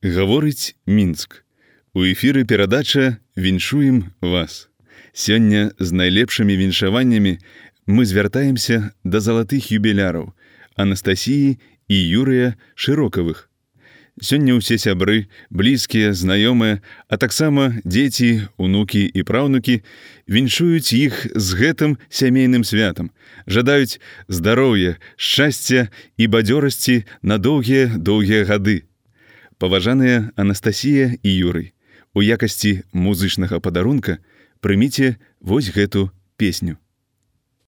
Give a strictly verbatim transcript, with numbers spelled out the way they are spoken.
Гаворыць Мінск. У эфіры перадача «Віншуем вас». Сёння з найлепшымі віншаваннямі мы звяртаемся да залатых юбіляраў Анастасіі і Юрыя Шырокавых. Сёння ўсе сябры, блізкія, знаёмыя, а таксама дзеці, унукі і праўнукі віншуюць іх з гэтым сямейным святам, жадаюць здароўя, шчасця і бадзёрасці на доўгія-доўгія гады. Паважаныя Анастасія і Юрый, у якасці музычнага падарунка прыміце вось гэту песню.